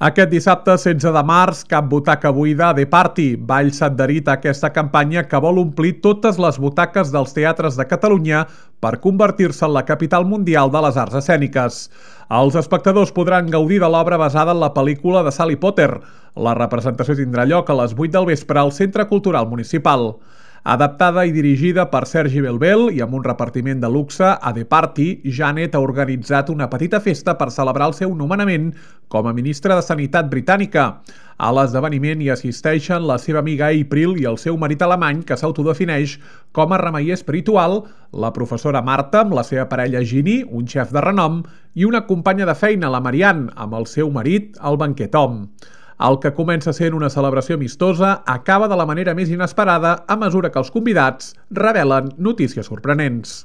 Aquest dissabte, 16 de març, cap butaca buida a The Party. Valls s'adherit a aquesta campanya que vol omplir totes les butaques dels teatres de Catalunya per convertir-se en la capital mundial de les arts escèniques. Els espectadors podran gaudir de l'obra basada en la pel·lícula de Harry Potter. La representació tindrà lloc a les 8 del vespre al Centre Cultural Municipal. Adaptada i dirigida per Sergi Belbel i amb un repartiment de luxe, a The Party, Janet ha organitzat una petita festa per celebrar el seu nomenament com a ministra de Sanitat britànica. A l'esdeveniment hi assisteixen la seva amiga April i el seu marit alemany, que s'autodefineix com a remeier espiritual, la professora Marta amb la seva parella Ginny, un xef de renom, i una companya de feina, la Marianne, amb el seu marit, el banquer Tom. El que comença sent una celebració amistosa acaba de la manera més inesperada a mesura que els convidats revelen notícies sorprenents.